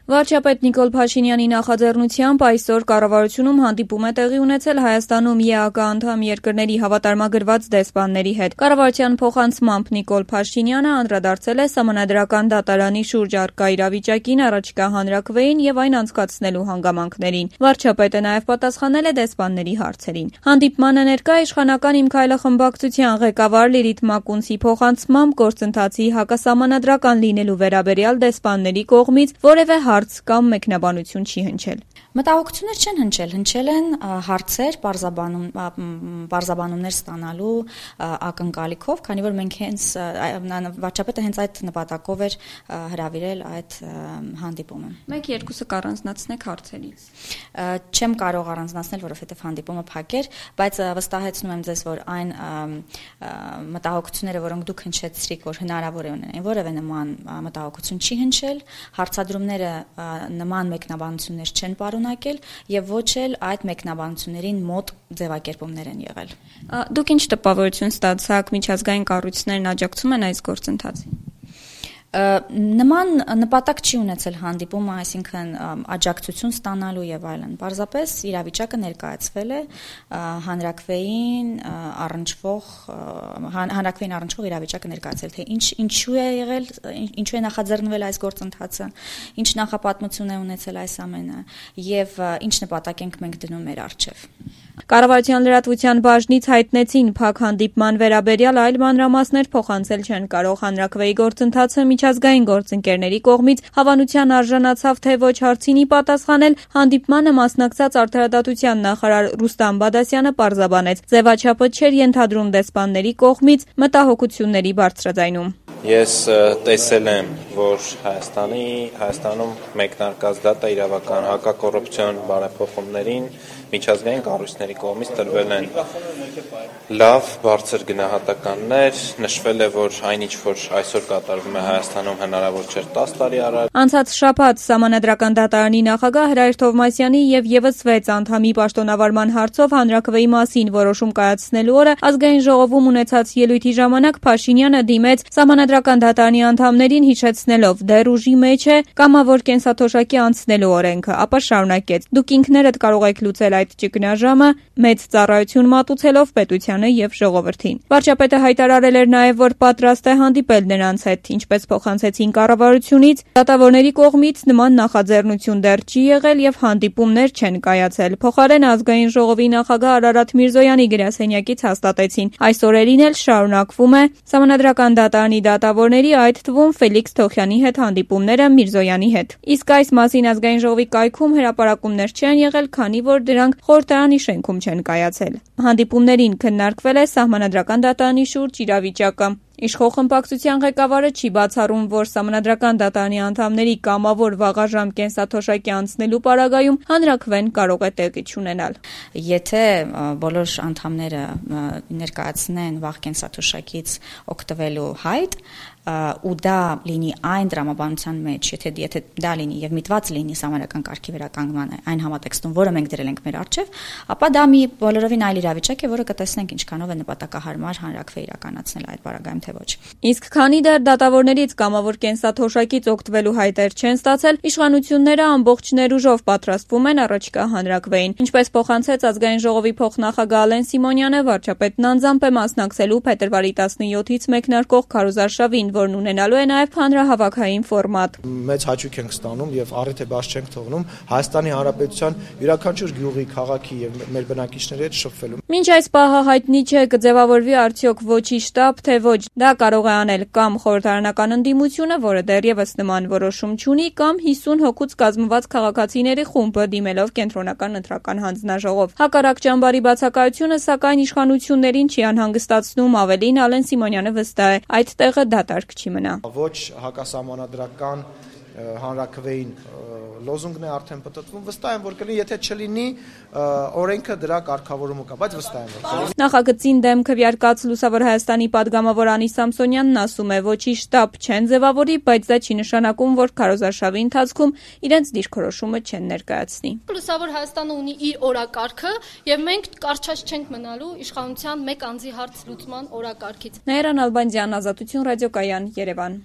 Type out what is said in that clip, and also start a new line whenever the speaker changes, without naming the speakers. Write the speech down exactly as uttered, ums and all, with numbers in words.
Վարչապետ Նիկոլ Փաշինյանի նախաձեռնությամբ այսօր կառավարությունում հանդիպում է տեղի ունեցել Հայաստանում ԵԱԿ անդամ երկրների հավատարմագրված դեսպանների հետ։ Կառավարության փոխանցմամբ Նիկոլ Փաշինյանը անդրադարձել է Սահմանադրական դատարանի շուրջ առկա իրավիճակին, առաջիկա հանրաքվեին եւ այն անցկացնելու հանգամանքներին։ Վարչապետը նաեւ պատասխանել է դեսպանների հարցերին։ Հանդիպմանը ներկա իշխանական Իմ քայլը խմբակցության ղեկավար Լիլիթ Մակունցի փոխանցմամբ գործընթացի հակասահմանադրական լինելու վերաբերյալ դեսպանների կողմից որևէ հարց կամ մեկնաբանություն չի հնչել։
Մտահոգություններ չեն հնչել, հնչել են հարցեր, պարզաբանում, պարզաբանումներ ստանալու ակնկալիքով, քանի որ մենք հենց վարչապետը հենց այդ նպատակով էր հրավիրել այդ հանդիպումը։
Մեկ երկուսը կառանձնացնեք հարցերից։
Չեմ կարող առանձնացնել, որովհետև հանդիպումը փակ էր, բայց վստահեցնում եմ ձեզ, որ այն մտահոգությունները, որոնք դուք հնչեցրիք, որ հնարավոր է ունենային, որևէ նման մտահոգություն չի հնչել, հարցադրումները նման մեկնաբանություններ չեն պարունակել եւ ոչ էլ այդ մեկնաբանություններին մոտ ձևակերպումներ են եղել։
Դուք ինչ տպավորություն ստացաք, միջազգային կառույցներն աջակցում են այս գործընթացին։
Նման նպատակ չի ունեցել հանդիպումը, այսինքն աջակցություն ստանալու եւ այլն։ Պարզապես իրավիճակը ներկայացվել է հանրաքվեին առնչվող հանրաքվեին առնչվող իրավիճակը ներկայացել, թե ինչ ինչու է եղել, ինչու է նախաձեռնվել այս գործընթացը, ինչ նախապատմություն է ունեցել այս ամենը եւ ինչ նպատակ ենք մենք դնում մեր առջեւ։
Կառավարության լրատվության բաժնից հայտնեցին փակ հանդիպման վերաբերյալ այլ մանրամասներ փոխանցել չեն կարող հանրաքվեի գործընթացը միջազգային գործընկերների կողմից հավանության արժանացավ թե ոչ հարցինի պատասխանել հանդիպմանը մասնակցած արդարադատության նախարար Ռուստամ Բադասյանը պարզաբանեց ձևաչափը չէր ենթադրում դեսպանների կողմից մտահոգությունների բարձրաձայնում։
Ես տեսել եմ, որ Հայաստանի Հայաստանում մեկնարկած դատա իրավական հակակոռուպցիոն բարեփոխումներին միջազգային կառույցների կողմից տրվել են լավ, բարձր գնահատականներ, նշվել է, որ այնինչ որ այսօր կատարվում է Հայաստանում հնարավոր չէր տաս տարի առաջ։
Անցած շաբաթ Սահմանադրական դատարանի նախագահ Հրայր Թովմասյանի եւ եւս վեց անդամի պաշտոնավարման հարցով հանրաքվեի մասին որոշում կայացնելու օրը ազգային ժողովում ունեցած ելույթի ժամանակ Փաշինյանը դիմեց Սահմանադրական դատարանի անդամներին հիշեցնելով դեռ ուժի մեջ է կամավոր կենսաթոշակի անցնելու օրենքը, ապա շարունակեց. Դուք ինքներդ կարող եք լուծել այդ ճգնաժամը մեծ ծառայություն մատուցելով պետությանը եւ ժողովրդին։ Վարչապետը հայտարարել էր նաեւ, որ պատրաստ է հանդիպել նրանց հետ, ինչպես փոխանցեցին կառավարությունից, դատավորների կողմից նման նախաձեռնություն դեռ չի եղել եւ հանդիպումներ չեն կայացել։ Փոխարեն ազգային ժողովի նախագահ Արարատ Միրզոյանի գրասենյակից հաստատեցին. այս օրերին էլ շարունակվում է Սահմանադրական դատարանի դատավորների, այդ թվում Ֆելիքս Թոխյանի հետ հանդիպումները Միրզոյանի հետ։ Իսկ այս մասին ազգային ժողովի կայքում հրապարակումներ չեն եղել, քանի որ դրանք խորհրդարանի շենքում չեն կայացել։ Հանդիպումներին քննարկվել է Սահմանադրական դատարանի շուրջ իրավիճակը։ Իշխող խմբակցության ղեկավարը չի բացառում, որ Սահմանադրական դատարանի անդամների կամավոր վաղաժամ կենսաթոշակի անցնելու պարագայում հանրաքվեն կարող է տեղի չունենալ։
Եթե բոլոր անդամները ներկայացնեն վաղ կենսաթոշակից օգտվելու հայտ, ու դա լինի այն դրամաբանության մեջ, եթե եթե դա լինի եւ միտված լինի սահմանադրական կարգի վերականգնման այն համատեքստում, որը մենք դրել ենք մեր առջեւ, ապա դա մի բոլորովին այլ իրավիճակ է, որը կտեսնենք ինչքանով է նպատակահարմար հանրաքվե իրականացնել այդ բaragայում թե ոչ։
Իսկ քանի դեռ դատավորներից կամավոր կենսաթոշակից օգտվելու հայտեր չեն ստացել, իշխանությունները ամբողջ ներուժով պատրաստվում են առաջիկա հանրաքվեին։ Ինչպես փոխանցեց ազգային ժողովի փոխնախագահ Ալեն Սիմոնյանը, վարչապետն անձամբ է մասնակցելու փետրվարի տասնյոթից մեկնարկող քարոզարշավին, որն ունենալու է նաև հանրահավաքային ֆորմատ։
Մեծ հաճույք ենք ստանում եւ առիթ է բաց չենք թողնում Հայաստանի Հանրապետության յուրաքանչյուր գյուղի, քաղաքի եւ մեր բնակիչների հետ շփվելու։
Մինչ այս պահը հայտնի չէ կձևավորվի արդյոք ոչի շտաբ, թե ոչ։ Դա կարող է անել կամ խորհրդարանական ընդդիմությունը, որը դեռևս նման որոշում չունի, կամ հիսուն հոգուց կազմված քաղաքացիների խումբը դիմելով կենտրոնական ընտրական հանձնաժողով։ Հակառակ ճամբարի բացակայությունը, սակայն իշխանություններին չի անհանգստացնում, ավելին Ալեն Սիմոնյանը վստահ է, այդ տեղը դատարկ չի մնա։
Ոչ հակասահմանադրական հանրաքվեին լոզունգն է արդեն պատտվում, վստահ եմ, որ կլինի, եթե չլինի օրենքը դրա կարգավորումը կա, բայց վստահ եմ, որ
Նախագծին դեմ քվեարկած Լուսավոր Հայաստանի падգամավոր Անի Սամսոնյանն ասում է, ոչի շտաբ չեն ձևավորի, բայց դա չի նշանակում, որ քարոզարշավի ընթացքում իրենց դիրքորոշումը չեն ներկայացնի։
Լուսավոր Հայաստանը ունի իր օրակարգը, եւ մենք կարճած չենք մնալու իշխանության մեկ անձի հարց լուծման օրակարգից։
Նաիրա Նալբանդյան, Ազատություն ռադիոկայան, Երևան։